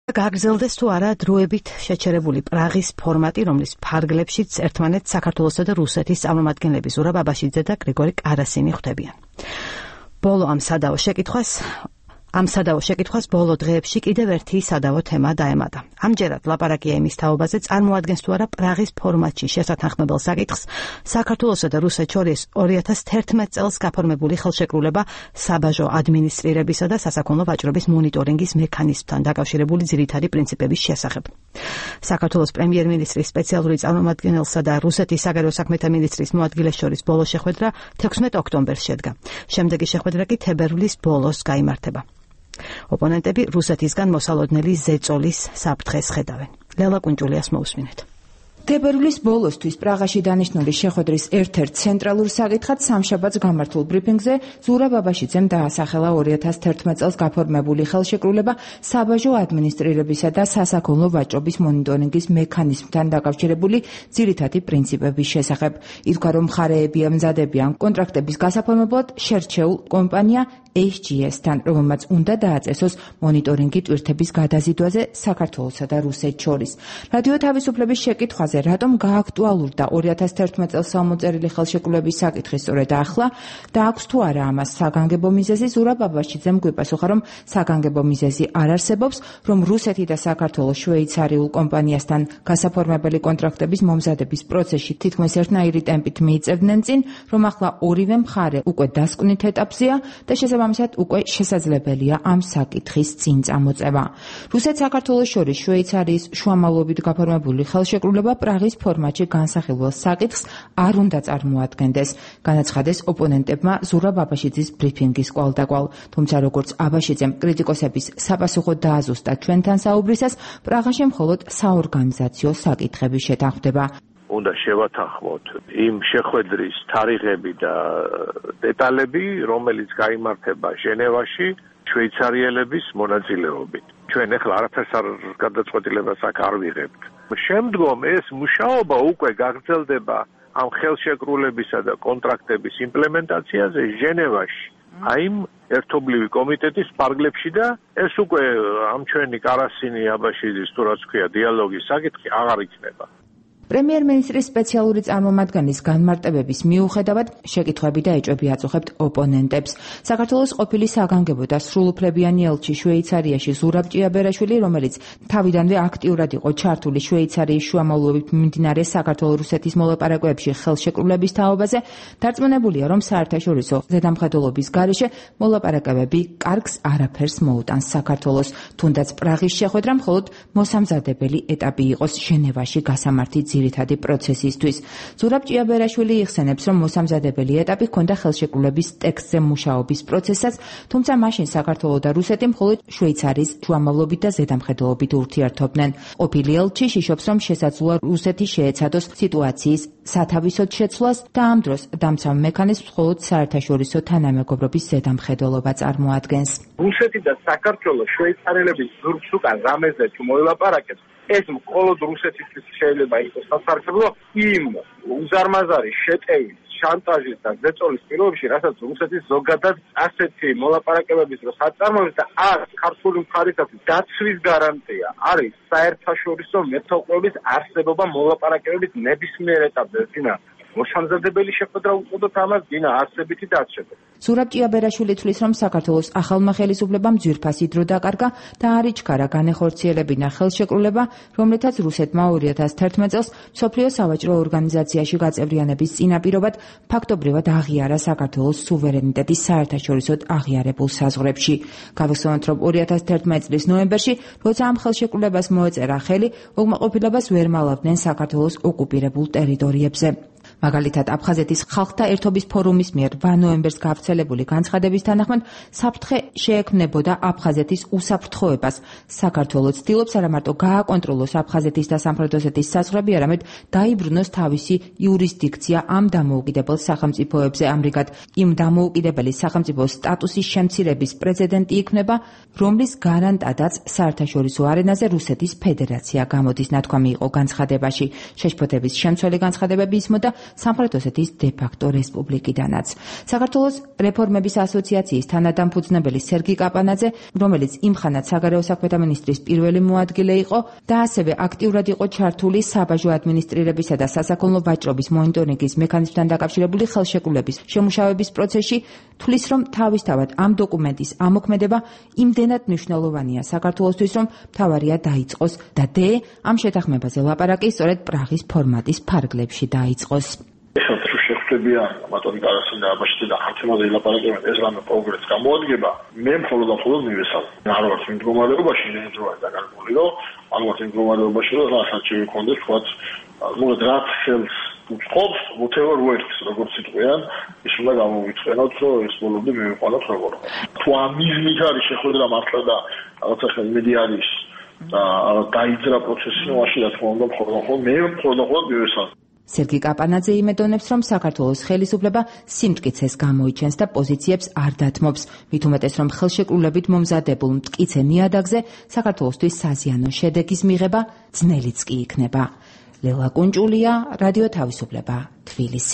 გაგრძელდეს თუ არა დროებით შეჩერებული პრაღის ფორმატი, რომლის ფარგლებშიც ერთმანეთს საქართველოსა და რუსეთის წარმომადგენლები ზურაბ აბაშიძე და გრიგორი კარასინი ხვდებიან. ბოლო ამ სადავო შეკითხვას ბოლო დღეებში კიდევ ერთი სადავო თემა დაემატა. ამჯერად ლაპარაკია იმის თაობაზე, წარმოადგენს თუ არა პრაღის ფორმატში შესათანხმებელ საკითხს საქართველოსა და რუსეთს შორის 2011 წელს გაფორმებული ხელშეკრულება საბაჟო ადმინისტრირებისა და სასაქონლო ვაჭრობის მონიტორინგის მექანიზმთან დაკავშირებული ძირითადი პრინციპების შესახებ. საქართველოს პრემიერ-მინისტრის სპეციალური წარმომადგენელსა და რუსეთის საგარეო საქმეთა მინისტრის მოადგილეს შორის ბოლო შეხვედრა 16 ოქტომბერს შედგა. შემდეგი შეხვედრა კი თებერვლის ბოლოს გაიმართება. ოპონენტები რუსეთისგან მოსალოდნელი ზეწოლის საფრთხეს ხედავენ. ლელა კუნჭულიას მოусმინეთ. თებერვლის ბოლოსთვის პრაღაში დანიშნული შეხვედრის ერთ-ერთ ცენტრალურ საკითხად სამშაბათს გამართულ ბრიფინგზე ზურაბ აბაშიძემ დაასახელა 2011 წელს გაფორმებული ხელშეკრულება საბაჟო ადმინისტრირებისა და სასაქონლო ვაჭრობის მონიტორინგის მექანიზმთან დაკავშირებული ძირითადი პრინციპების შესახებ. ითქვა, რომ მხარეები ემზადებიან კონტრაქტების გასაფორმებლად შერჩეულ კომპანია HGS-თან, რომელმაც უნდა დააწესოს მონიტორინგი ტვირთების გადაზიდვაზე საქართველოსა და რუსეთს შორის. რადიო თავისუფლების შეკითხვაზე, რატომ გააქტუალურდა 2011 წელს სამოწერილი ხელშეკრულების საკითხი სწორედ ახლა და აქვს თუ არა ამას საგანგებო მიზეზი, ზურაბ აბაშიძემ გვიპასუხა, რომ საგანგებო მიზეზი არ არსებობს, რომ რუსეთი და საქართველოს შვეიცარიულ კომპანიასთან გასაფორმებელი კონტრაქტების მომზადების პროცესში თითქმის ერთნაირი ტემპით მიიწევდნენ წინ, რომ ახლა ორივე მხარე უკვე დასკვნით ეტაპზეა და შესაბამისად უკვე შესაძლებელია ამ საკითხის წინ წამოწევა. რუსეთს საქართველოს შორის შვეიცარიის შუამავლობით გაფორმებული ხელშეკრულება პრაღის ფორმატში განსახილველ საკითხს არ უნდა წარმოადგენდეს, განაცხადეს ოპონენტებმა ზურაბ აბაშიძის ბრიფინგის კვალდაკვალ. თუმცა როგორც აბაშიძემ კრიტიკოსების საპასუხო დააზუსტა ჩვენთან საუბრისას, პრაღაში მხოლოდ საორგანიზაციო საკითხები შეთანხმდება. უნდა შევათანხმოთ იმ შეხვედრის თარიღები და დეტალები, რომელიც გაიმართება ჟენევაში შვეიცარიელების მონაწილეობით. ჩვენ ახლა არაფერს არ გადაწყვეტილებას აქ არ ვიღებთ. შემდგომ ეს მუშაობა უკვე გაგრძელდება ამ ხელშეკრულებისა და კონტრაქტების იმპლემენტაციაზე ჟენევაში. აი იმ ერთობლივი კომიტეტის ფარგლებში და ეს უკვე ამ ჩვენი კარასინი აბაშიძის თუ რაც ქვია დიალოგის საკითხი აღარ იქნება. პრემიერ-მინისტრის სპეციალური წარმომადგენლის განმარტებების მიუხედავად შეკითხვები და ეჭვები აწუხებთ ოპონენტებს. საქართველოს ყოფილი საგანგებო და სრულუფლებიანი ელჩი შვეიცარიაში ზურაბ ჭიაბერაშვილი, რომელიც თავიდანვე აქტიურად იყო ჩართული შვეიცარიის შუამავლობით მიმდინარე საქართველო-რუსეთის მოლაპარაკებებში ხელშეკრულების თაობაზე, დარწმუნებულია, რომ საერთაშორისო ზედამხედველობის გარეშე მოლაპარაკებები კარგს არაფერს მოუტანს საქართველოს, თუნდაც პრაღის შეხვედრა მხოლოდ მოსამზადებელი ეტაპი იყოს ჟენევაში გასამართი ძირითადი პროცესისთვის. ზურაბ ჭიაბერაშვილი იხსენებს, რომ მოსამზადებელი ეტაპი ჰქონდა ხელშეკრულების ტექსტზე მუშაობის პროცესსაც, თუმცა მაშინ საქართველო და რუსეთი მხოლოდ შვეიცარიის შუამავლობით და ზედამხედველობით ურთიერთობდნენ. ყოფილი ელჩი შიშობს, რომ შესაძლოა რუსეთი შეეცადოს სიტუაციის სათავისოდ შეცვლას და ამ დროს დამცავ მექანიზმს მხოლოდ საერთაშორისო თანამეგობრობის ზედამხედველობა წარმოადგენს. რუსეთი და საქართველო შვეიცარიელების ზურგს უკან რამეზე თუ მოილაპარაკებს, ეს მხოლოდ რუსეთისთვის შეიძლება იყოს სასარგებლო იმ უზარმაზარი შეტევის, შანტაჟის და ზეწოლის პირობებში, რასაც რუსეთის ზოგადად ასეთი მოლაპარაკებების დროს აწარმოებს და არც ქართული მხარისათვის დაცვის გარანტია არის საერთაშორისო მეთვალყურების არსებობა მოლაპარაკებების ნებისმიერ ეტაპზე. მოსამზადებელი შეხვედრა უწოდოთ ამას დინა არსებითი დაცვა. ზურაბ ჭიაბერაშვილი თვლის, რომ საქართველოს ახალმა ხელისუფლებამ ძვირფასი დრო დაკარგა და არ იჩქარა განეხორციელებინა ხელშეკრულება, რომლითაც რუსეთმა 2011 წელს მსოფლიო სავაჭრო ორგანიზაციაში გაწევრიანების წინაპირობად ფაქტობრივად აღიარა საქართველოს სუვერენიტეტის საერთაშორისოდ აღიარებულ საზღვრებში. გავიხსენოთ, რომ 2011 წლის ნოემბერში, როცა ამ ხელშეკრულებას მოეწერა ხელი, უკმაყოფილებას ვერ მალავდნენ საქართველოს ოკუპირებულ ტერიტორიებზე. მაგალითად, აფხაზეთის ხალხთა ერთობის ფორუმის მიერ 8 ნოემბერს გავრცელებული განცხადების თანახმად საფრთხე შეექმნებოდა აფხაზეთის უსაფრთხოებას. საქართველო ცდილობს არა მარტო გააკონტროლოს აფხაზეთის და სამხრეთ ოსეთის საზღვრები, არამედ დაიბრუნოს თავისი იურისდიქცია ამ დამოუკიდებელ სახელმწიფოებზე. ამრიგად, იმ დამოუკიდებელი სახელმწიფოს სტატუსის შემცირების პრეცედენტი იქნება, რომლის გარანტადაც საერთაშორისო არენაზე რუსეთის ფედერაცია გამოდის, ნათქვამი იყო განცხადებაში. შეშფოთების შემცველი განცხადებები ისმოდა სამხრეთ ოსეთის დე-ფაქტო რესპუბლიკიდანაც. საქართველოს რეფორმების ასოციაციის თანადამფუძნებელი სერგი კაპანაძე, რომელიც იმხანად საგარეო საქმეთა მინისტრის პირველი მოადგილე იყო და ასევე აქტიურად იყო ჩართული საბაჟო ადმინისტრირებისა და სასაქონლო ვაჭრობის მონიტორინგის მექანიზმთან დაკავშირებული ხელშეკრულების შემუშავების პროცესში, თვლის, რომ თავისთავად ამ დოკუმენტის ამოქმედება იმდენად მნიშვნელოვანია საქართველოსთვის, რომ მთავარია დაიწყოს და ამ შეთანხმებაზე ლაპარაკი სწორედ პრაღის ფორმატის ფარგლებში დაიწყოს. შეხვდებიან ბატონი კარასინა აბაშიძე და ხალხმაზე ლაპარაკებენ ეს რამე პროგრესს გამოადგება მე მხოლოდ მივესალმე არ ვარ იმ მდგომარეობაში ნეძროა დაგარგული რომ არ ვარ იმ მდგომარეობაში რომ რასაც შევიქონდეს თქვა მოგეთ რა ხელს უწყობს whatever works როგორც იტყვიან ის უნდა გამოვიწყენოთ რომ ეს ბოლომდე მივიყვანოთ როგორ თუ ამ მიზნით არის შეხვედრა მართლა და რაღაცა იმედი არის და დაიძრა პროცესი მაშინ რა თქმა უნდა მხოლოდ მივესალმე. სერგი კაპანაძე იმედონებს, რომ საქართველოს ხელისუფლება სიმტკიცეს გამოიჩენს და პოზიციებს არ დათმობს. მით უმეტეს, რომ ხელშეკრულებით მომზადებულ მტკიცე ნიადაგზე საქართველოსთვის საზიანო შედეგის მიღება ძნელიც კი იქნება. ლელა კუნჭულია, რადიო თავისუფლება, თბილისი.